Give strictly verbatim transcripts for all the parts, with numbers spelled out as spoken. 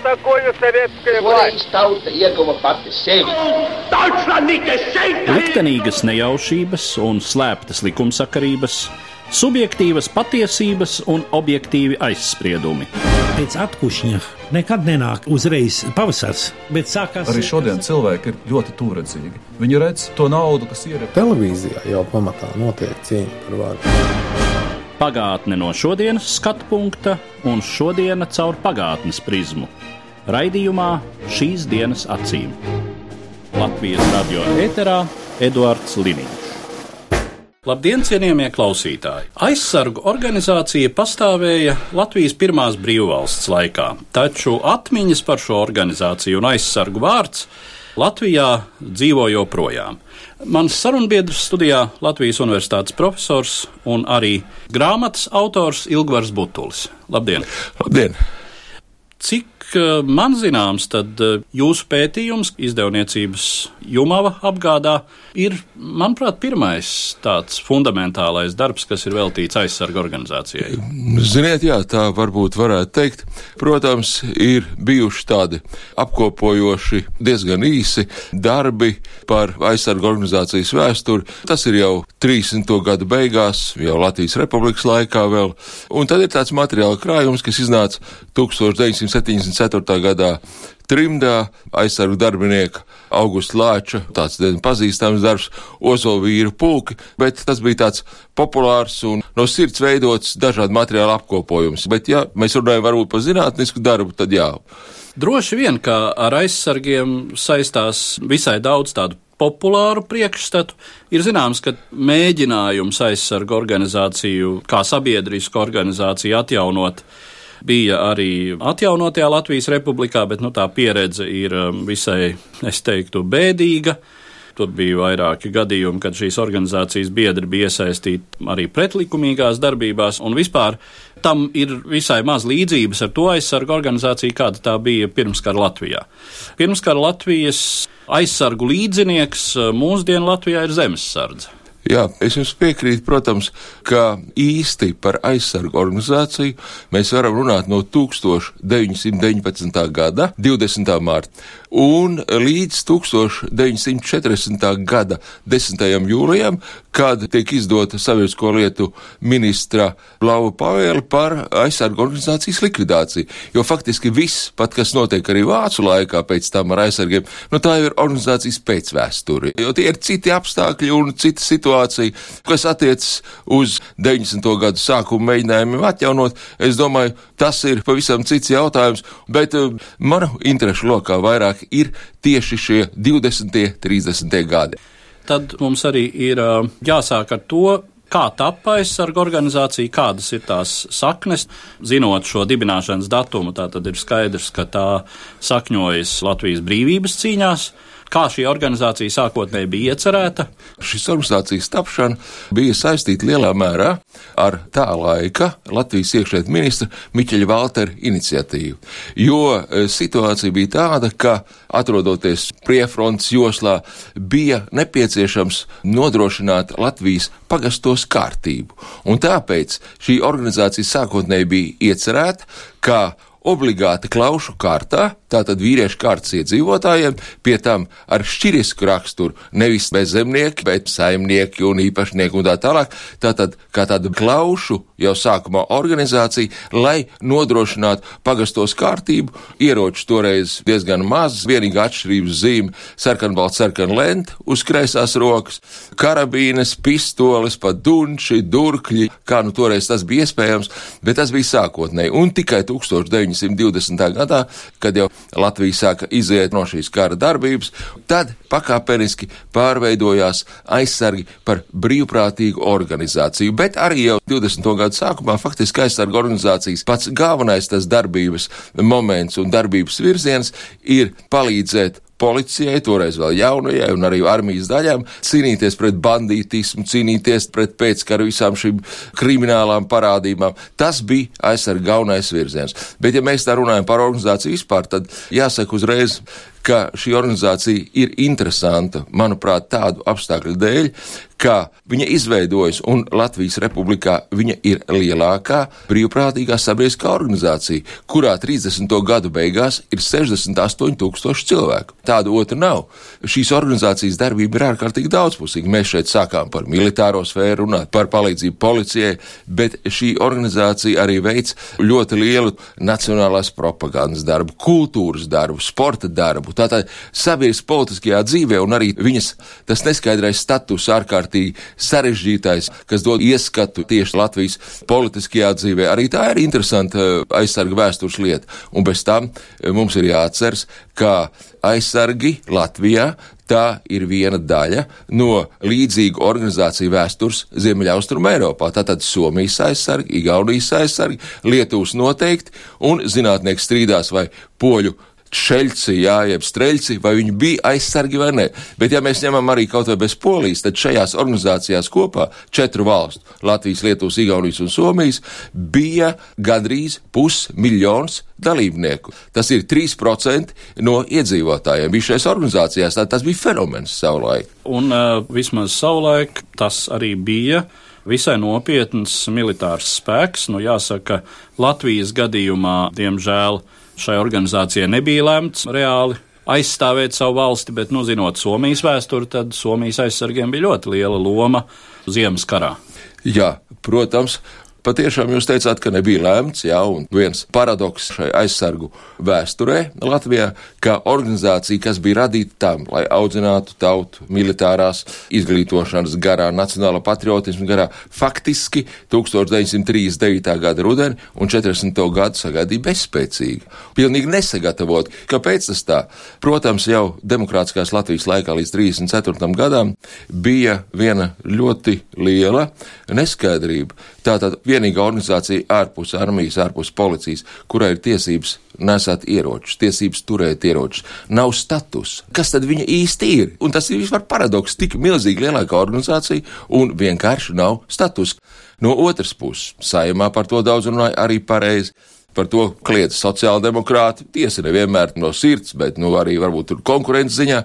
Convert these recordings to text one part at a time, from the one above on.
такое советская власть? Liktenīgas nejaušības un slēptas likumsakarības, subjektīvas patiesības un objektīvi aizspriedumi. Pēc atkušņa nekad nenāk uzreiz pavasars, bet sākās... Arī šodien cilvēki ir ļoti tūredzīgi. Viņi redz to naudu, kas ir... Televīzijā jau pamatā notiek cīņa par varu. Pagātne no šodienas skatu punkta un šodiena caur pagātnes prizmu. Raidījumā Šīs dienas acīm. Latvijas radio ēterā Eduards Liniņš. Labdien, cienījamie klausītāji! Aizsargu organizācija pastāvēja Latvijas pirmās brīvvalsts laikā, taču atmiņas par šo organizāciju un aizsargu vārds Latvijā dzīvo joprojām. Mans sarunbiedrs studijā Latvijas Universitātes profesors un arī grāmatas autors Ilgvars Butulis. Labdien! Labdien! Cik man zināms, tad jūsu pētījums izdevniecības Jumava apgādā ir, manuprāt, pirmais tāds fundamentālais darbs, kas ir veltīts aizsargu organizācijai. Ziniet, jā, tā varbūt varētu teikt. Protams, ir bijuši tādi apkopojoši, diezgan īsi darbi par aizsargu organizācijas vēsturi. Tas ir jau trīsdesmito gadu beigās, jau Latvijas Republikas laikā vēl. Un tad ir tāds materiāla krājums, kas iznāca tūkstoš deviņsimt septiņdesmit ceturtā gadā trimdā, aizsargu darbinieka Augusta Lāča, tāds pazīstams darbs, Ozolvīru pulki, bet tas bija tāds populārs un no sirds veidots dažādu materiālu apkopojums. Bet, ja mēs runājam varbūt par zinātnisku darbu, tad jā. Droši vien, ka ar aizsargiem saistās visai daudz tādu populāru priekšstatu. Ir zināms, ka mēģinājums aizsargu organizāciju kā sabiedrisku organizāciju atjaunot bija arī atjaunotajā Latvijas Republikā, bet nu, tā pieredze ir visai, es teiktu, bēdīga. Tur bija vairāki gadījumi, kad šīs organizācijas biedri bija iesaistīti arī pretlikumīgās darbībās, un vispār tam ir visai maz līdzības ar to aizsargu organizāciju, kāda tā bija pirmskara Latvijā. Pirmskara Latvijas aizsargu līdzinieks mūsdienu Latvijā ir Zemessardze. Jā, es jums piekrītu, protams, ka īsti par aizsargu organizāciju mēs varam runāt no tūkstoš deviņsimt deviņpadsmitā gada divdesmitā mārta un līdz tūkstoš deviņsimt četrdesmitā gada desmitajam jūlijam, kad tiek izdota sabiedrisko lietu ministra Blauva pavēle par aizsargu organizācijas likvidāciju. Jo faktiski viss, pat kas notiek arī vācu laikā pēc tam ar aizsargiem, nu tā jau ir organizācijas pēcvēsture. Jo tie ir citi apstākļi un cita situācija, kas attiecas uz deviņdesmito gadu sākumu mēģinājumiem atjaunot. Es domāju, tas ir pavisam cits jautājums, bet uh, manu interešu lokā vairāk ir tieši šie divdesmitie, trīsdesmitie gadi. Tad mums arī ir uh, jāsāk ar to, kā tappa aizsargu organizācija, kādas ir tās saknes. Zinot šo dibināšanas datumu, tā tad ir skaidrs, ka tā sakņojas Latvijas brīvības cīņās. Kā šī organizācija sākotnēji bija iecerēta? Šis organizācijas tapšana bija saistīta lielā mērā ar tā laika Latvijas iekšlietu ministra Miķeļa Valtera iniciatīvu. Jo situācija bija tāda, ka atrodoties priefrontes joslā bija nepieciešams nodrošināt Latvijas pagastos kārtību. Un tāpēc šī organizācija sākotnēji bija iecerēta, kā obligāti klaušu kārtā, tātad vīriešu kārtas iedzīvotājiem, pie tam ar šķirisku raksturu, nevis bezzemnieki, bet saimnieki un īpašnieki un tā tālāk, tātad kā tāda klaušu jau sākumā organizācija, lai nodrošinātu pagastos kārtību, ieroči toreiz diezgan maz, vienīgā atšķirības zīme sarkanbalts sarkan lenta uz kreisās rokas, karabīnes, pistoles, pat dunči, durkļi, kā nu toreiz tas bija iespējams, bet tas bija sākotnēji, un tikai tūkstoš deviņsimt divdesmitā gadā, kad jau Latvija sāka iziet no šīs kara darbības, tad pakāpeniski pārveidojās aizsargi par brīvprātīgu organizāciju, bet arī jau divdesmito gadu sākumā faktiski aizsargu organizācijas pats galvenais tas darbības moments un darbības virziens ir palīdzēt policijai, toreiz vēl jaunajai un arī armijas daļām, cīnīties pret bandītismu, cīnīties pret pēckaru visām šīm kriminālām parādībām. Tas bija aizsarga galvenais virziens. Bet ja mēs tā runājam par organizāciju vispār, tad jāsaka uzreiz, ka šī organizācija ir interesanta, manuprāt, tādu apstākļu dēļ, ka viņa izveidojas un Latvijas Republikā viņa ir lielākā brīvprātīgā sabiedriskā organizācija, kurā trīsdesmito gadu beigās ir sešdesmit astoņi tūkstoši cilvēku. Tāda otra nav. Šīs organizācijas darbība ir ārkārtīgi daudzpusīga. Mēs šeit sākām par militāro sfēru runāt, par palīdzību policijai, bet šī organizācija arī veic ļoti lielu nacionālās propagandas darbu, kultūras darbu, sporta darbu. Tātad sabiedriskā politiskajā dzīvē un arī viņas tas neskaidrais status ārkārtīgi sarežģītais, kas dod ieskatu tieši Latvijas politiskajā dzīvē. Arī tā ir interesanta aizsarga vēstures lieta. Un bez tam mums ir jāatceras, ka aizsargi Latvijā tā ir viena daļa no līdzīgu organizāciju vēstures Ziemeļaustrum Eiropā. Tātad Somijas aizsargi, Igaunijas aizsargi, Lietuvas noteikti, un zinātnieki strīdās vai poļu šeļci, jā, jeb streļci, vai viņi bija aizsargi vai ne. Bet ja mēs ņemam arī kaut vai bez Polijas, tad šajās organizācijās kopā četru valstu, Latvijas, Lietuvas, Igaunijas un Somijas, bija gandrīz pusmiljons dalībnieku. Tas ir trīs procenti no iedzīvotājiem. Bija šajās organizācijās, tā tas bija fenomens savulaik. Un uh, vismaz savulaik tas arī bija visai nopietns militārs spēks. Nu, jāsaka, Latvijas gadījumā, diemžēl, šai organizācijai nebija lemts reāli aizstāvēt savu valsti, bet, nu, zinot Somijas vēsturi, tad Somijas aizsargiem bija ļoti liela loma Ziemas karā. Jā, protams. Patiešām jūs teicāt, ka nebija lēmts, jā, un viens paradoks šai aizsargu vēsturē Latvijā, ka organizācija, kas bija radīta tam, lai audzinātu tautu militārās izglītošanas garā, nacionāla patriotismu garā, faktiski tūkstoš deviņsimt trīsdesmit devītā gada rudeni un četrdesmito gadu sagaidīja bezspēcīgi. Pilnīgi nesagatavot. Kāpēc tas tā? Protams, jau demokrātiskās Latvijas laikā līdz trīsdesmit ceturtajam gadam bija viena ļoti liela neskaidrība. Tātad vienīgā organizācija ārpus armijas, ārpus policijas, kurai ir tiesības nesāt ieročus, tiesības turēt ieročus, nav status. Kas tad viņa īsti ir? Un tas ir vispār paradoks, tik milzīgi lielākā organizācija un vienkārši nav status. No otras puses, Saeimā par to daudz runāja arī pareizi. Par to kliedz sociāldemokrāti, tiesa nevienmēr no sirds, bet nu arī varbūt tur konkurences ziņā,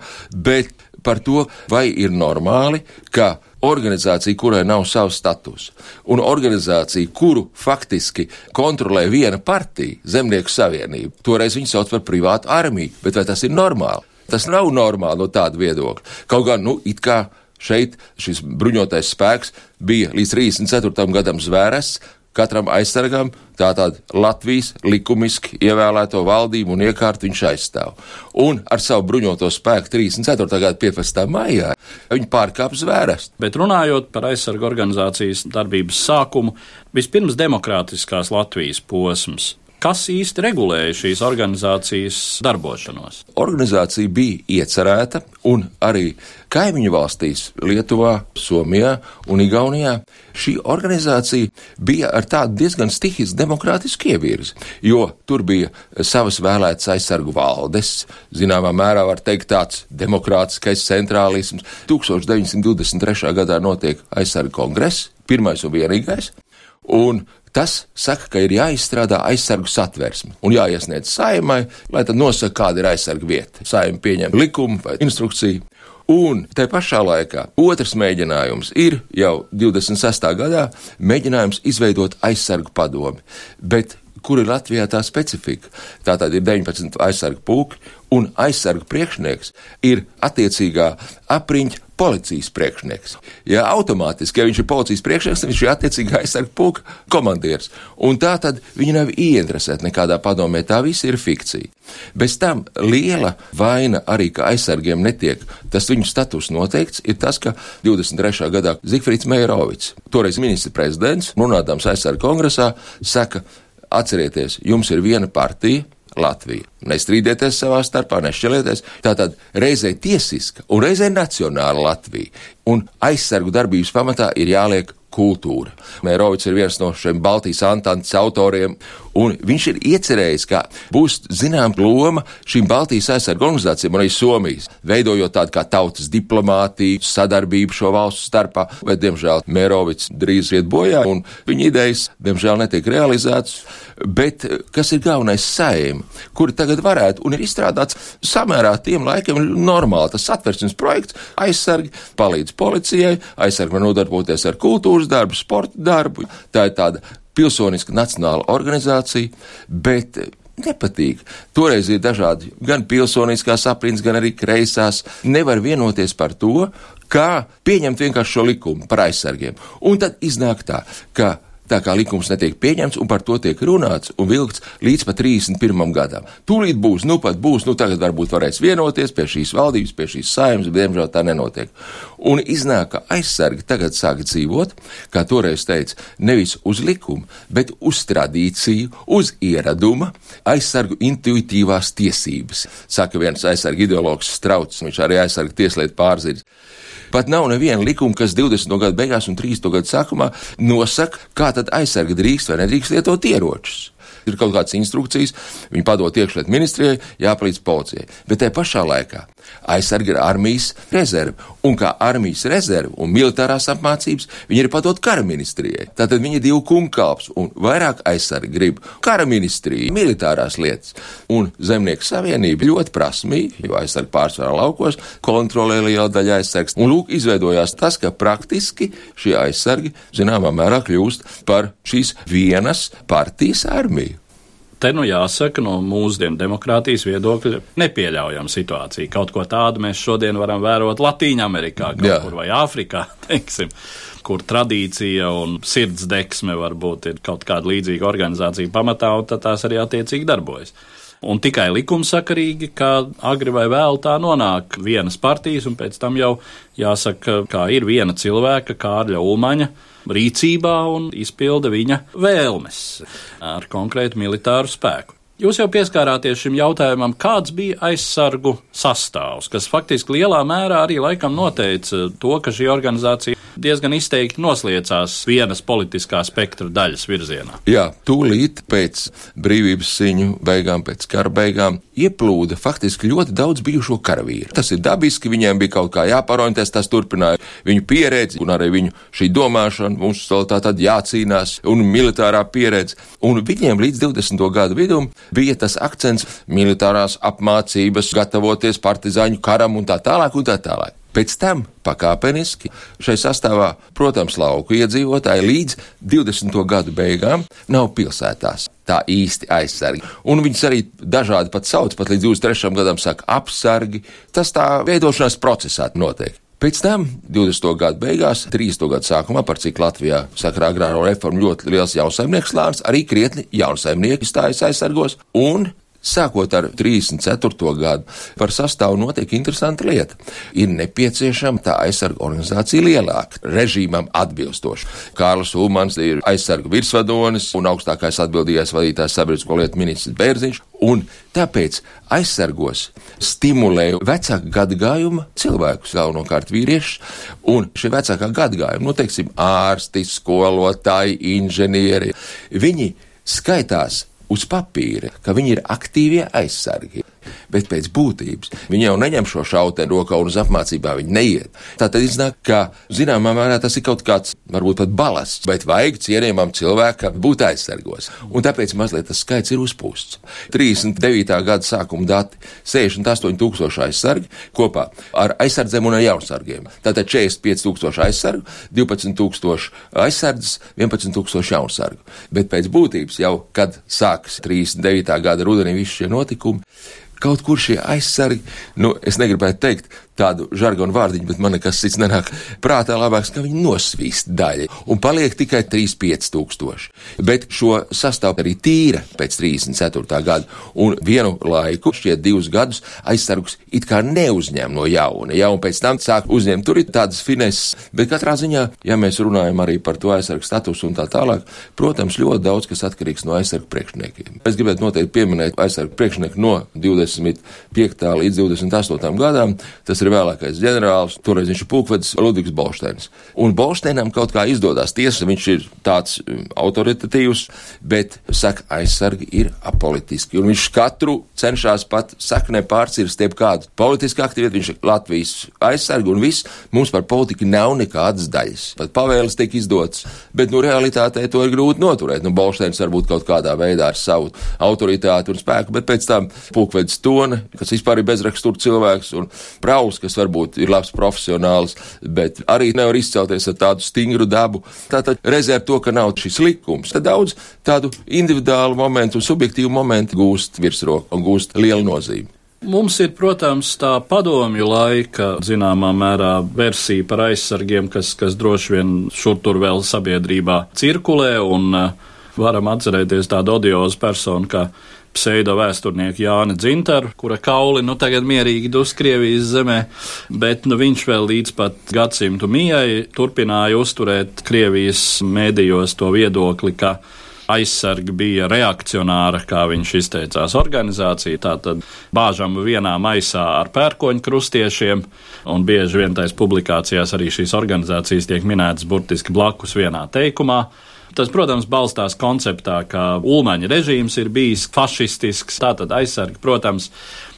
bet par to, vai ir normāli, ka organizācija, kurai nav savs status, un organizācija, kuru faktiski kontrolē viena partija, Zemnieku savienība, toreiz viņi sauc par privātu armiju, bet vai tas ir normāli? Tas nav normāli no tāda viedokļa. Kaut gan, nu, it kā šeit šis bruņotais spēks bija līdz trīsdesmit ceturtajam gadam zvērests, katram aizsargam tātad Latvijas likumiski ievēlēto valdību un iekārtu viņš aizstāv. Un ar savu bruņoto spēku trīsdesmit ceturtā gada piecpadsmitā maijā viņi pārkāp zvērestu. Bet runājot par aizsargu organizācijas darbības sākumu, vispirms demokrātiskās Latvijas posms. Kas īsti regulēja šīs organizācijas darbošanos? Organizācija bija iecerēta un arī kaimiņu valstīs, Lietuvā, Somijā un Igaunijā, šī organizācija bija ar tādu diezgan stihisku demokrātisku ievirzi, jo tur bija savas vēlētas aizsargu valdes, zināmā mērā var teikt tāds demokrātiskais centrālisms. tūkstoš deviņsimt divdesmit trešā gadā notiek aizsargu kongress, pirmais un vienīgais, un tas saka, ka ir jāizstrādā aizsargu satversme un jāiesniedz Saeimai, lai tad nosaka, kāda ir aizsargu vieta. Saeima pieņem likumu vai instrukciju. Un te pašā laikā otrs mēģinājums ir jau divdesmit sestā gadā mēģinājums izveidot aizsargu padomi. Bet kur ir Latvijā tā specifika? Tātad ir deviņpadsmit aizsargu pulki un aizsargu priekšnieks ir attiecīgā apriņķa policijas priekšnieks. Ja automātiski, ja viņš ir policijas priekšnieks, viņš ir attiecīgā aizsargu pulka komandieris. Un tā tad viņi nav ieinteresēti nekādā padomē, tā viss ir fikcija. Bez tam liela vaina arī, ka aizsargiem netiek tas viņu status noteikts, ir tas, ka divdesmit trešā gadā Zigfrīds Meirovics, toreiz ministra prezidents, runādams aizsargu kongresā, saka, atcerieties, jums ir viena partija, Latvija. Nestrīdieties savā starpā, nešķelieties. Tātad reizē tiesiska un reizē nacionāla Latvija. un aizsargu darbības pamatā ir jāliek kultūra. Mērovics ir viens no šiem Baltijas Antantes autoriem, un viņš ir iecerējis, ka būs zinām loma šīm Baltijas aizsargu organizācijām un arī Somijas, veidojot tādu kā tautas diplomātiju, sadarbību šo valstu starpā, bet, diemžēl, Mērovics drīz iet bojā, un viņa idejas, diemžēl, netiek realizētas, bet kas ir galvenais Saeima, kuri tagad varētu, un ir izstrādāts samērā tiem laikiem normāli, tas satversmes projekts, aizsargi palīdz policijai, aizsargi var nodarboties ar kultūras darbu, sporta darbu, tā ir tāda pilsoniska nacionāla organizācija, bet nepatīk. Toreiz ir dažādi gan pilsoniskās aprindas, gan arī kreisās, nevar vienoties par to, kā pieņemt vienkārši šo likumu par aizsargiem. Un tad iznāk tā, ka tā kā likums netiek pieņemts, un par to tiek runāts un vilkts līdz pat trīsdesmit pirmam gadam. Tūlīt būs, nu pat būs, nu tagad varbūt varēs vienoties pie šīs valdības, pie šīs Saeimas, bet diemžēl tā nenotiek. Un iznāk, ka aizsargi tagad sāk dzīvot, kā toreiz teica, nevis uz likumu, bet uz tradīciju, uz ieraduma, aizsargu intuitīvās tiesības. Saka viens aizsargu ideologs Strauts, viņš arī aizsargu tieslietu pārziņas. Pat nav neviena likuma, kas divdesmito gadu beigās un trīsdesmito gadu sākumā nosaka, kā tad aizsargi drīkst vai nedrīkst lietot ieročus. Ir kaut kādas instrukcijas, viņi padod iekšlietu ministrijai, jāpalīdz policijai. Bet tajā pašā laikā aizsargi ir armijas rezerve, un kā armijas rezerve un militārās apmācības viņi ir padod kara ministrijai. Tātad viņi ir divu kumkalps, un vairāk aizsargi grib kara ministriju, militārās lietas. Un Zemnieku savienība ļoti prasmīgi, jo aizsargi pārsvarā laukos, kontrolē liela daļa aizsargs. Un lūk, izveidojās tas, ka praktiski šie aizsargi zināmā mērā kļūst par šīs vienas partijas armiju. Te nu jāsaka, no mūsdienu demokrātijas viedokļa nepieļaujama situācija. Kaut ko tādu mēs šodien varam vērot Latīņamerikā, kaut Jā. kur vai Āfrikā, teiksim, kur tradīcija un sirdsdeksme varbūt ir kaut kāda līdzīga organizācija pamatā, un tad tās arī attiecīgi darbojas. Un tikai likumsakarīgi, kā agri vai vēl tā nonāk vienas partijas, un pēc tam jau jāsaka, kā ir viena cilvēka, Kārļa Ulmaņa, rīcībā un izpilda viņa vēlmes ar konkrētu militāru spēku. Jūs jau pieskārāties šim jautājumam, kāds bija aizsargu sastāvs, kas faktiski lielā mērā arī laikam noteica to, ka šī organizācija diezgan izteikti nosliecās vienas politiskā spektra daļas virzienā. Jā, tūlīt pēc brīvības cīņu beigām, pēc kara beigām, ieplūda faktiski ļoti daudz bijušo karavīru. Tas ir dabiski, viņiem bija kaut kā jāparoņties, tas turpināja viņu pieredzi un arī viņu šī domāšana, mums vēl tā tad jācīnās un militārā pieredze. Un viņiem līdz divdesmito gadu vidum bija tas akcents militārās apmācības, gatavoties partizāņu karam un tā tālāk un tā tālāk. Pēc tam pakāpeniski šai sastāvā, protams, lauku iedzīvotāji līdz divdesmito gadu beigām nav pilsētās tā īsti aizsargi. Un viņus arī dažādi pat sauc, pat līdz divdesmit trešajam gadam saka apsargi. Tas tā veidošanās procesā notiek. Pēc tam, divdesmito gadu beigās, trīsdesmito gadu sākumā, par cik Latvijā sakarā agrāro reformu ļoti liels jaunsaimnieku slānis, arī krietni jaunsaimnieki stājas aizsargos, un sākot ar trīsdesmit ceturto gadu, par sastāvu notiek interesanta lieta. Ir nepieciešama tā aizsarga organizācija lielāka, režīmam atbilstoši. Kārlis Ulmans ir aizsarga virsvadonis un augstākais atbildīgais vadītājs sabiedrisko lietu ministrs Bērziņš, un tāpēc aizsargos stimulē vecāka gadagājuma cilvēkus, galvenokārt vīriešus, un šie vecākā gadagājuma, nu, teiksim, ārsti, skolotāji, inženieri, viņi skaitās uz papīra, ka viņi ir aktīvie aizsargi, bet pēc būtības viņi jau neņem šo šauteni rokā un uz apmācībā viņi neiet. Tātad iznāk, ka zināmā mērā tas ir kaut kāds, varbūt pat balasts, bet vajag cienījamam cilvēkam būt aizsargos. Un tāpēc mazliet tas skaits ir uzpūsts. trīsdesmit devītā gada sākuma dati - sešdesmit astoņi tūkstoši aizsargi kopā ar aizsardzēm un ar jaunsargiem. Tātad četrdesmit pieci tūkstoši aizsargu, divpadsmit tūkstoši aizsardzes, vienpadsmit tūkstoši jaunsargu. Bet pēc būtības jau, kad sākas trīsdesmit devītā gada rudenī visi šie notikumi, kaut kur šie aizsargi, nu, es negribētu teikt tādu žargonu vārdiņu, bet man nekas cits nenāk prātā labāks, ka viņi nosvīst daļa un paliek tikai trīs pieci tūkstoši. Bet šo sastāv arī tīra pēc trīsdesmit ceturtā gada, un vienu laiku, šķiet divus gadus, aizsargus it kā neuzņem no jauna, ja, un pēc tam sāk uzņemt, tur ir tādas fineses, bet katrā ziņā, ja mēs runājam arī par to aizsargu statusu un tā tālāk, protams, ļoti daudz, kas atkarīgs no aizsargu priekšniekiem. Es gribētu noteikti pieminēt aizsargu priekšnieku no divdesmit piektā līdz divdesmit astotajam gadam, tas ir ir vēlākais ģenerālis, toreiz viņš ir pulkvedis Ludvigs Bolšteinis. Un Bolšteinam kaut kā izdodas, tiesa, viņš ir tāds autoritatīvs, bet, saka, aizsargi ir apolitiski. Un viņš katru cenšas pat saknē pārcirst jeb kādu politisku aktivitāti, viņš ir Latvijas aizsargi un viss, mums par politiku nav nekādas daļas. Pat pavēles tiek izdotas, bet, nu, realitātē to ir grūti noturēt. Nu, Bolšteins varbūt kaut kādā veidā ar savu autoritāti un spēku, bet pēc tam pulkvedis Tone, kas vispār ir bezrakstura cilvēks, un Prauls, kas varbūt ir labs profesionāls, bet arī nevar izcelties ar tādu stingru dabu. Tātad rezerv to, ka nav šis likums. Tad daudz tādu individuālu momentu un subjektīvu momentu gūst virsroku un gūst lielu nozīmi. Mums ir, protams, tā padomju laika, zināmā mērā, versija par aizsargiem, kas, kas droši vien šur tur vēl sabiedrībā cirkulē, un uh, varam atcerēties tādu odiozu personu, kā pseido vēsturnieku Jāni Dzintaru, kura kauli nu tagad mierīgi dus Krievijas zemē, bet nu viņš vēl līdz pat gadsimtu mijai turpināja uzturēt Krievijas mēdījos to viedokli, ka aizsargi bija reakcionāra, kā viņš izteicās, organizācija, tātad bāžam vienā maisā ar pērkoņu krustiešiem, un bieži vien tais publikācijās arī šīs organizācijas tiek minētas burtiski blakus vienā teikumā. Tas, protams, balstās konceptā, ka Ulmaņa režīms ir bijis fašistisks, tātad aizsargi, protams,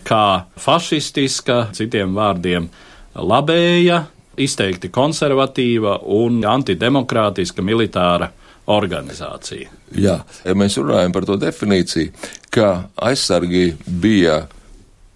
kā fašistiska, citiem vārdiem labēja, izteikti konservatīva un antidemokrātiska militāra organizācija. Jā, ja mēs runājam par to definīciju, ka aizsargi bija,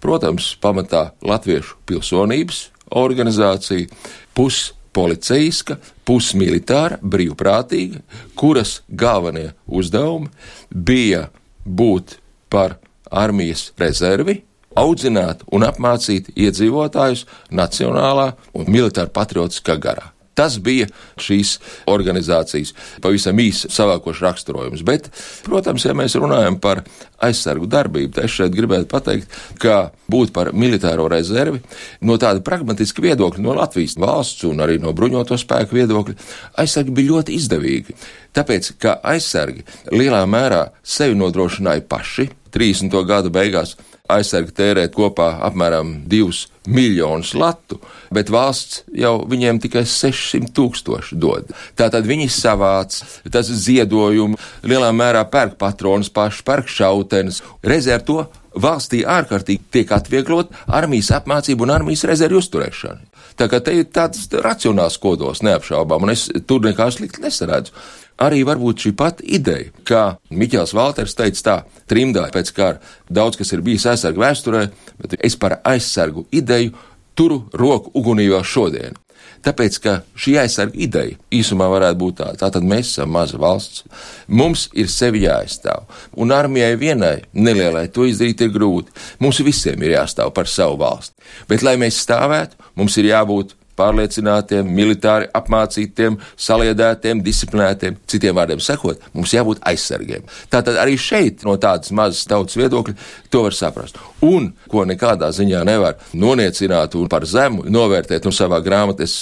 protams, pamatā latviešu pilsonības organizācija, pus policeiska, pusmilitāra, brīvprātīga, kuras galvenie uzdevumi bija būt par armijas rezervi, audzināt un apmācīt iedzīvotājus nacionālā un militāra patriotiskā garā. Tas bija šīs organizācijas pavisam īsi savākošs raksturojums. Bet, protams, ja mēs runājam par aizsargu darbību, tad es šeit gribētu pateikt, ka būt par militāro rezervi no tāda pragmatiska viedokļa, no Latvijas valsts un arī no bruņoto spēku viedokļa, aizsargi bija ļoti izdevīgi. Tāpēc, ka aizsargi lielā mērā sevi nodrošināja paši, trīsdesmito gadu beigās aizsargi tērēt kopā apmēram divus miljonus latu, bet valsts jau viņiem tikai sešsimt tūkstoši dod. Tātad viņi savāc, tas ziedojumu, lielā mērā pērk patronus paši, pērk šautenes. Reiz ar to valstī ārkārtīgi tiek atvieglot armijas apmācību un armijas rezervju uzturēšanu. Tā kā te ir tāds racionāls kodols neapšaubām, un es tur nekā slikti nesaredzu. Arī varbūt šī pati ideja, kā Miķels Valters teica tā, trimdā pēc kara, daudz kas ir bijis aizsargu vēsturē, bet es par aizsargu ideju turu roku ugunī vēl šodien. Tāpēc, ka šī aizsarga ideja īsumā varētu būt tāda, tātad mēs esam maza valsts, mums ir sevi jāaizstāv, un armijai vienai nelielai to izdarīt ir grūti, mums visiem ir jāstāv par savu valsti, bet lai mēs stāvētu, mums ir jābūt pārliecinātiem, militāri apmācītiem, saliedētiem, disciplinētiem, citiem vārdiem sakot, mums jābūt aizsargiem. Tātad arī šeit no tādas mazas tautas viedokļa to var saprast. Un, ko nekādā ziņā nevar noniecināt un par zemu novērtēt, un savā grāmatā es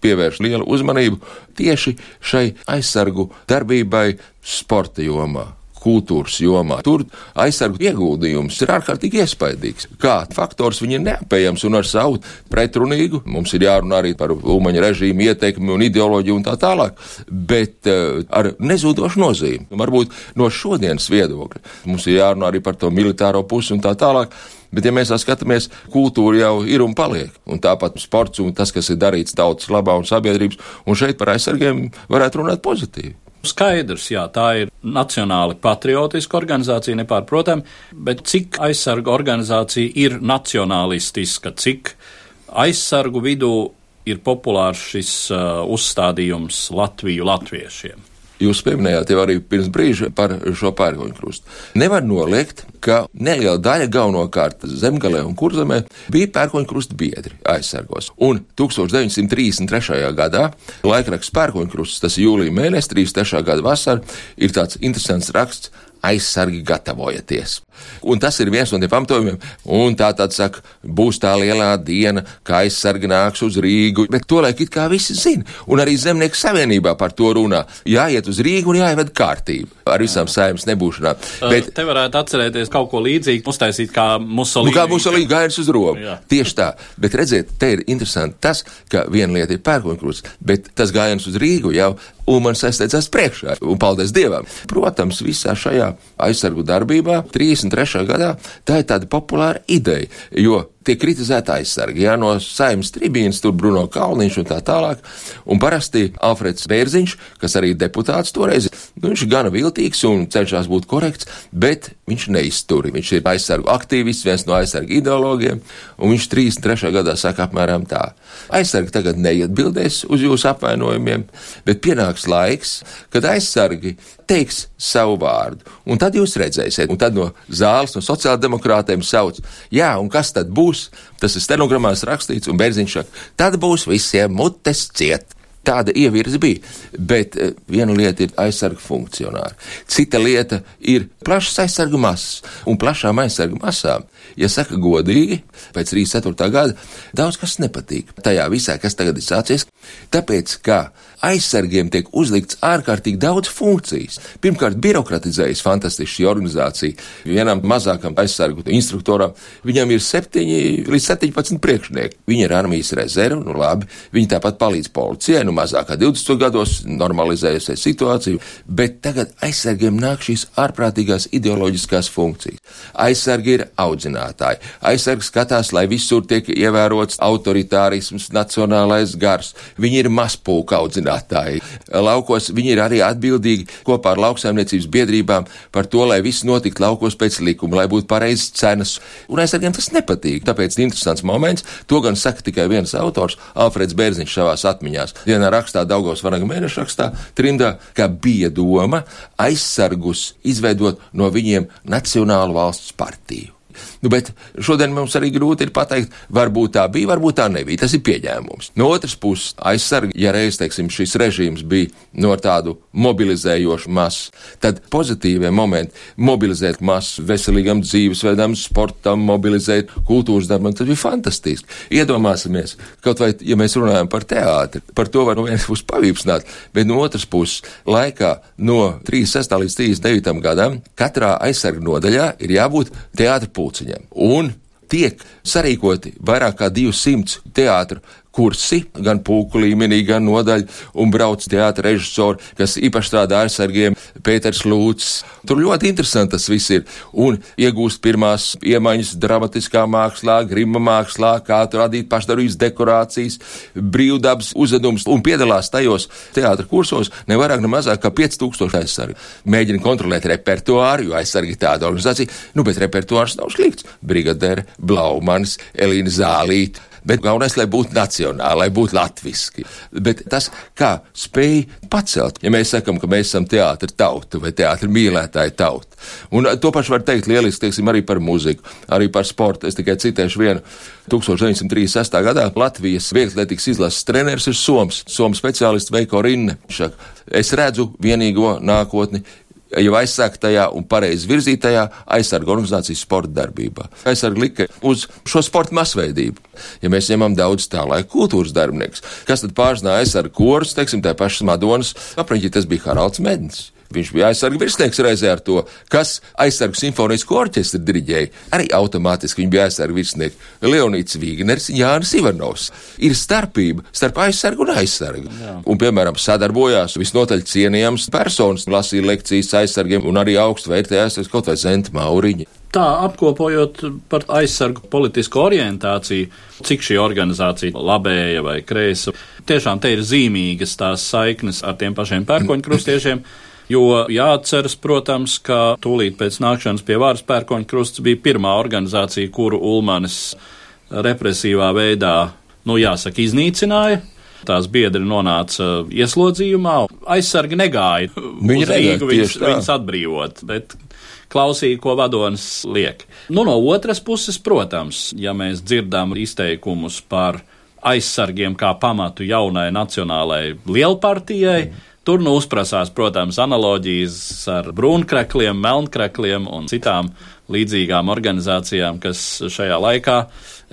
pievēršu lielu uzmanību tieši šai aizsargu darbībai sporta jomā, kultūras jomā. Tur aizsargu ieguldījums ir ārkārtīgi iespaidīgs. Kā faktors viņi ir neapējams un ar savu pretrunīgu, mums ir jārunā arī par Ulmaņa režīmu ietekmi un ideoloģiju un tā tālāk, bet uh, ar nezūdošu nozīmi. Varbūt no šodienas viedokļa mums ir jārunā arī par to militāro pusi un tā tālāk, bet ja mēs tā skatāmies, kultūra jau ir un paliek, un tāpat sports un tas, kas ir darīts tautas labā un sabiedrības, un šeit par aizsargiem varētu runāt pozitīvi. Skaidrs, jā, tā ir nacionāli patriotiska organizācija, nepārprotam, bet cik aizsargu organizācija ir nacionalistiska, cik aizsargu vidū ir populārs šis uh, uzstādījums Latviju latviešiem? Jūs pieminējāt jau arī pirms brīža par šo pērkoņu krustu. Nevar noliegt, ka neliela daļa galvenokārt Zemgalē un Kurzemē bija pērkoņu krusta biedri aizsargos. Un tūkstoš deviņsimt trīsdesmit trešajā gadā laikraksts Pērkoņu krusts, tas ir jūlija mēnesis, trīsdesmit trešā gada vasara, ir tāds interesants raksts aizsargi gatavojieties. Un tas ir viens no tiem pamatojumiem, un tā tad saka, būs tā lielā diena, kā aizsargi nāks uz Rīgu, bet to laik it kā visi zina, un arī Zemnieku savienībā par to runā. Jāiet uz Rīgu un jāieved kārtību ar visām Saeimas nebūšanām. Bet te varētu atcerēties kaut ko līdzīgu, uztaisīt kā Musolīni. Nu, kā Musolīni gājas uz Romu. Jā. Tieši tā. Bet redziet, te ir interesanti tas, ka viena lieta ir pērkoņkrusts, bet tas gājiens uz Rīgu jau Ulmanis aizsteidzās priekšā, un paldies Dievam. Protams, visā šajā aizsargu darbībā, trīsdesmit trešajā gadā, tā ir tāda populāra ideja, jo tiek kritizēta aizsargi, jā, no Saeimas tribīnas, tur Bruno Kalniņš un tā tālāk, un parasti Alfreds Bērziņš, kas arī deputāts toreiz, nu, viņš ir gana viltīgs un cenšas būt korekts, bet viņš neizturi, viņš ir aizsargu aktīvists, viens no aizsargu ideologiem, un viņš trīsdesmit trešajā gadā saka apmēram tā. Aizsargi tagad neatbildēs uz jūsu apvainojumiem, bet pienāks laiks, kad aizsargi teiks savu vārdu, un tad jūs redzēsiet, un tad no zāles, no sociāldemokrātiem sauc, jā, un kas tad būs? Tas ir stenogramās rakstīts, un Bērziņš saka, tad būs visiem mutes ciet. Tāda ievirze bija, bet viena lieta ir aizsargu funkcionāri, cita lieta ir plašas aizsargu masas, un plašām aizsargu masām, ja saka godīgi, pēc trīsdesmit ceturtā gada, daudz kas nepatīk tajā visā, kas tagad ir sācies, tāpēc, ka aizsargiem tiek uzlikts ārkārtīgi daudz funkcijas. Pirmkārt, birokratizējas fantastiski šī organizācija. Vienam mazākam aizsargu instruktoram, viņam ir septiņi līdz septiņpadsmit priekšnieki. Viņi ir armijas rezerve, nu labi, viņi tāpat palīdz policijai, nu mazākā divdesmit gados normalizējusies situācija, bet tagad aizsargiem nāk šīs ārprātīgās ideoloģiskās funkcijas. Aizsargi ir audzinātāji. Aizsargi skatās, lai visur tiek ievērots autoritārisms, nacionālais gars. Viņi ir mazpulka audzinātāji. Laukos viņi ir arī atbildīgi kopā ar lauksaimniecības biedrībām par to, lai viss notiktu laukos pēc likuma, lai būtu pareizas cenas. Un aizsargiem tas nepatīk. Tāpēc interesants moments, to gan saka tikai viens autors, Alfreds Bērziņš savās atmiņās. Vienā rakstā, Daugavas Vanaga mēneša rakstā, trimdā, ka bija doma aizsargus izveidot no viņiem Nacionālu valsts partiju. Nu, bet šodien mums arī grūti ir pateikt, varbūt tā bija, varbūt tā nebija. Tas ir pieņēmums. No otras puses, aizsargi, ja reiz, teiksim, šis režīms bija no tādu mobilizējošu masu, tad pozitīvie momenti mobilizēt masu veselīgam dzīvesveidam, sportam, mobilizēt kultūras darbam, tas bija fantastiski. Iedomāsimies, kaut vai, ja mēs runājam par teātri, par to var no vienas puses pavīpsnāt, bet no otras puses, laikā no trīsdesmit sestā līdz trīsdesmit devītajam gadam, katrā aizsargu nodaļā ir jābūt teātra pulciņam. Un tiek sarīkoti vairāk kā divsimt teātru kursi, gan pulku līmenī, gan nodaļu, un brauc teātra režisori, kas īpaši strādā aizsargiem, Pēters Lūcis. Tur ļoti interesanti tas viss ir. Un iegūst pirmās iemaņas dramatiskā mākslā, grima mākslā, kā tur radīt pašdarbības dekorācijas, brīvdabas uzvedums, un piedalās tajos teātra kursos ne vairāk, ne mazāk kā pieci tūkstoši aizsargi. Mēģina kontrolēt repertuāru, jo aizsargi tāda organizācija, nu, bet repertuārs nav slikts. Brigadere, Blaumanis, Elīna Zālīte. Bet galvenais, lai būtu nacionāli, lai būtu latviski. Bet tas, kā spēj pacelt, ja mēs sakam, ka mēs esam teātra tauta vai teātra mīlētāja tauta. Un to pašu var teikt lieliski, teiksim, arī par muziku, arī par sportu. Es tikai citēšu vienu. tūkstoš deviņsimt trīsdesmit sestā gadā Latvijas vieglatlētikas izlases treneris ir Soms, Somu speciālists Veiko Rinne. Es redzu vienīgo nākotni jau aizsāktajā un pareizi virzītajā aizsargu organizācijas sporta darbībā. Aizsargi lika uz šo sporta masveidību. Ja mēs ņemam daudz tā laika kultūras darbinieks, kas tad pārzināja aizsargu korus, teiksim, tā pašas Madonas, apriņķi tas bija Haralds Mednis. Viņš bija aizsargu virsnieks reizē ar to, kas aizsargu simfonisko orķestri diriģēja. Arī automātiski viņi bija aizsargu virsnieki. Leonīds Vīgners, Jānis Ivanovs. Ir starpība starp aizsargu un aizsargu. Jā. Un, piemēram, sadarbojās visnotaļ cienījams personas, lasīja lekcijas aizsargiem un arī augstu vērtēja aizsargs kaut vai Zenta Mauriņa. Tā, apkopojot par aizsargu politisko orientāciju, cik šī organizācija labēja vai kreisa, tiešām te ir zīmīgas tās saiknes ar tiem pašiem pērkoņkrustiešiem. Jo jāatceras, protams, ka tūlīt pēc nākšanas pie varas pērkoņkrusts bija pirmā organizācija, kuru Ulmanis represīvā veidā, nu jāsaka, iznīcināja. Tās biedri nonāca ieslodzījumā. Aizsargi negāja uz Rīgu viņus, viņus atbrīvot, bet klausīja, ko vadonis liek. Nu, no otras puses, protams, ja mēs dzirdam izteikumus par aizsargiem kā pamatu jaunai nacionālai lielpartijai, Tur nu uzprasās, protams, analoģijas ar brūnkrekļiem, melnkrekļiem un citām līdzīgām organizācijām, kas šajā laikā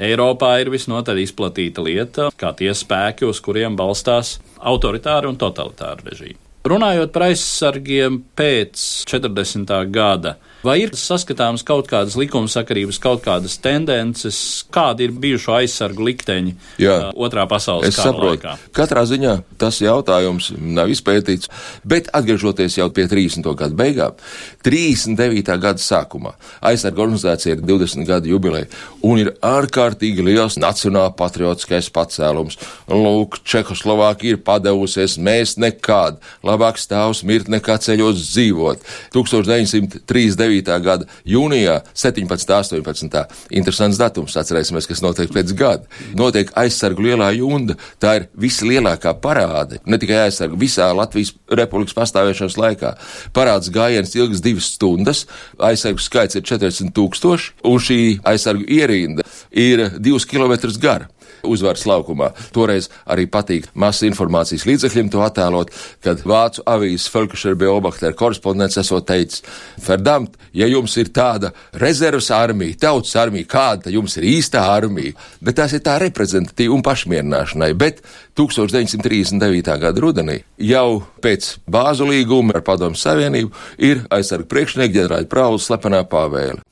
Eiropā ir visnotaļ izplatīta lieta, kā tie spēki, uz kuriem balstās autoritāri un totalitāri režīmi. Runājot par aizsargiem pēc četrdesmitā gada, vai ir saskatāms kaut kādas likumsakarības, kaut kādas tendences, kādi ir bijušo aizsargu likteņi Jā, otrā pasaules kara laikā? Katrā ziņā tas jautājums nav izpētīts, bet atgriežoties jau pie trīsdesmito gadu beigām, trīsdesmit devītā gada sākumā aizsargu organizācija ir divdesmit gadu jubileja un ir ārkārtīgi liels nacionāla patriotiskais pacēlums. Lūk, Čehoslovākija ir padevusies, mēs nekād, labāk stāvs mirt nekā ceļos dzīvot. tūkstoš deviņsimt trīsdesmit devītā gada jūnijā, septiņpadsmitā, astoņpadsmitā Interesants datums, atcerēsimies, kas notiek pēc gada. Notiek aizsargu lielā junda, tā ir vislielākā parāde, ne tikai aizsargu, visā Latvijas republikas pastāvēšanas laikā. Parāds gājiens ilgs divas stundas, aizsargu skaits ir četrdesmit tūkstoši, un šī aizsargu ierinda ir divus kilometrus gara. Uzvaras laukumā. Toreiz arī patīk masas informācijas līdzekļiem to attēlot, kad vācu avīzes Völkischer Beobachter korespondents esot teicis: Verdammt, ja jums ir tāda rezervas armija, tautas armija, kāda tad jums ir īstā armija? Bet tās ir tā reprezentatīva un pašmierināšanai. Bet tūkstoš deviņsimt trīsdesmit devītā gada rudenī, jau pēc bāzu līguma ar Padomju Savienību, ir aizsargu priekšnieka ģenerāļa Praula slepenā pavēle,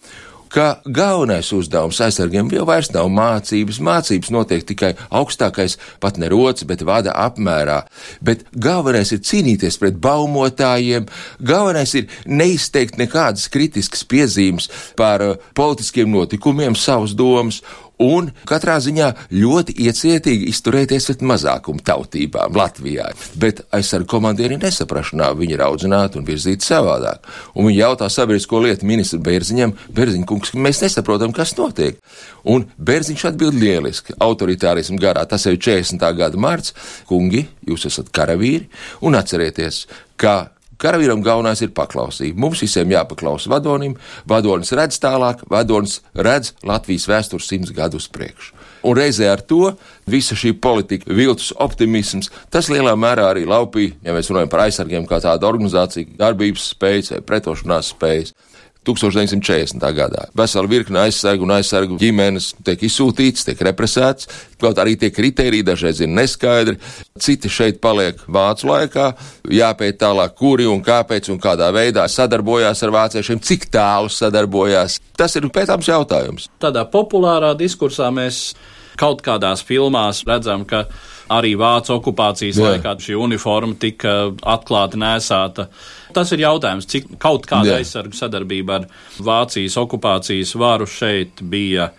ka galvenais uzdevums aizsargiem jau vairs nav mācības, mācības notiek tikai augstākais, pat ne rots, bet vada apmērā, bet galvenais ir cīnīties pret baumotājiem, galvenais ir neizteikt nekādas kritiskas piezīmes par uh, politiskiem notikumiem, savas domas, un katrā ziņā ļoti iecietīgi izturēties pret mazākumu tautībām Latvijā. Bet aizsargu komandieri nesaprašanā, viņi ir audzināti un virzīti savādāk. Un viņi jautā sabiedrisko lietu ministru Bērziņam: Bērziņ kungs, mēs nesaprotam, kas notiek. Un Bērziņš atbild lieliski, autoritārismu garā, tas jau ir četrdesmitā gada marts: kungi, jūs esat karavīri, un atcerieties, ka karavīram galvenais ir paklausība. Mums visiem jāpaklausa vadonim, vadonis redz tālāk, vadonis redz Latvijas vēstures simts gadu uz priekšu. Un reizē ar to visa šī politika, viltus optimisms, tas lielā mērā arī laupīja, ja mēs runājam par aizsargiem kā tādu organizāciju, darbības spējas vai pretošanās spējas. tūkstoš deviņsimt četrdesmitā gadā. Vesela virkne aizsargu un aizsargu ģimenes tiek izsūtīts, tiek represēts, kaut arī tie kriteriji dažreiz ir neskaidri. Citi šeit paliek vācu laikā, jāpēt tālāk, kuri un kāpēc un kādā veidā sadarbojās ar vāciešiem, cik tālu sadarbojās. Tas ir pētāms jautājums. Tādā populārā diskursā mēs kaut kādās filmās redzam, ka arī vācu okupācijas Jā. laikā šī uniforma tika atklāti nēsāta. Tas ir jautājums, cik kaut kāda Jā. aizsargu sadarbība ar Vācijas okupācijas varu šeit bija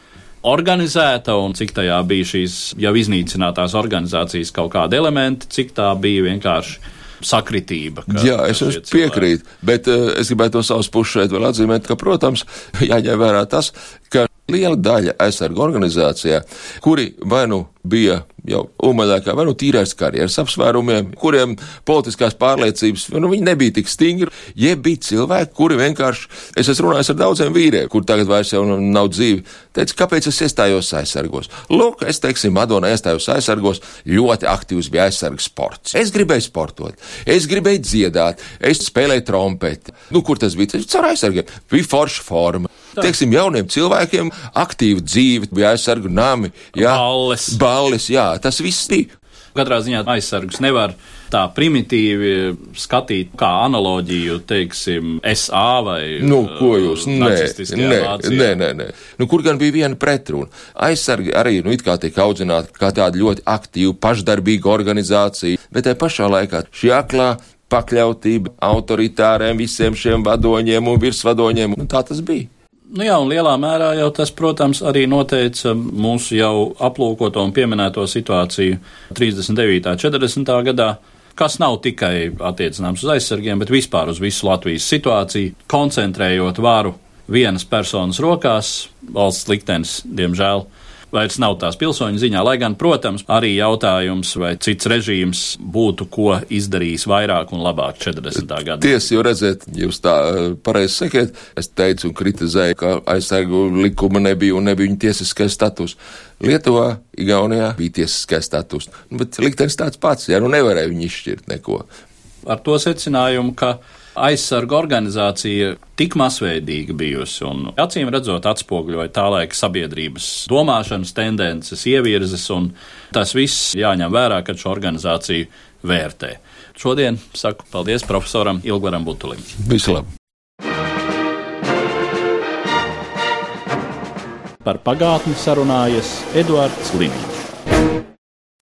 organizēta un cik tajā bija šīs jau iznīcinātās organizācijas kaut kādi elementi, cik tā bija vienkārši sakritība. Ka, Jā, es jums piekrītu, bet uh, es gribētu no savas puses šeit vēl atzīmēt, ka, protams, jāņem vērā tas, ka liela daļa aizsargu organizācijā, kuri vai nu bija jau umaļākā, vai nu tīrais karjeras apsvērumiem, kuriem politiskās pārliecības, nu viņi nebija tik stingri, jeb bija cilvēki, kuri vienkārši, es esmu runājis ar daudziem vīriem, kur tagad vairs jau nav dzīvi, teica, kāpēc es iestājos aizsargos? Lūk, es teiksim, Madona iestājos aizsargos, ļoti aktīvs bija aizsargu sports. Es gribēju sportot, es gribēju dziedāt, es spēlēju trompeti. Nu, kur tas bija? Tas caur aizsargiem. Bija forša forma. Tā. Teiksim, jauniem cilvēkiem aktīva dzīve, bija aizsargu nami, jā, balles. balles, jā, tas viss bija. Katrā ziņā aizsargus nevar tā primitīvi skatīt kā analoģiju, teiksim, S A vai nu, ko jūs? nacistiskajā Nē, Vācijā. nē, nē, nē. Nu, kur gan bija viena pretruna? Aizsargi arī, nu, it kā tiek audzināti kā tāda ļoti aktīva, pašdarbīga organizācija, bet tai pašā laikā šī aklā pakļautība autoritāriem visiem šiem vadoņiem un virsvadoņiem, nu, tā tas bija. Nu jā, un lielā mērā jau tas, protams, arī noteica mūsu jau aplūkoto un pieminēto situāciju trīsdesmit devītā četrdesmitā gadā, kas nav tikai attiecināms uz aizsargiem, bet vispār uz visu Latvijas situāciju, koncentrējot varu vienas personas rokās. Valsts liktenis, diemžēl, vairs nav tās pilsoņu ziņā, lai gan, protams, arī jautājums, vai cits režīms būtu ko izdarījis vairāk un labāk četrdesmitā gadā. Tiesa, jo redzēt, jūs tā pareizi sakiet, es teicu un kritizēju, ka aizsargu likuma nebija un nebija viņa tiesiskais status. Lietuvā, Igaunijā bija tiesiskais status, bet liktenis tāds pats, ja nu nevarēja viņi izšķirt neko. ar to secinājumu, ka aizsarga organizācija tik masveidīga bijusi un acīm redzot atspoguļoja tā laika sabiedrības domāšanas tendences, ievirzes, un tas viss jāņem vērā, kad šo organizāciju vērtē. Šodien saku paldies profesoram Ilgvaram Butulim. Visu labi! Par pagātni sarunājas Eduards Liniņš.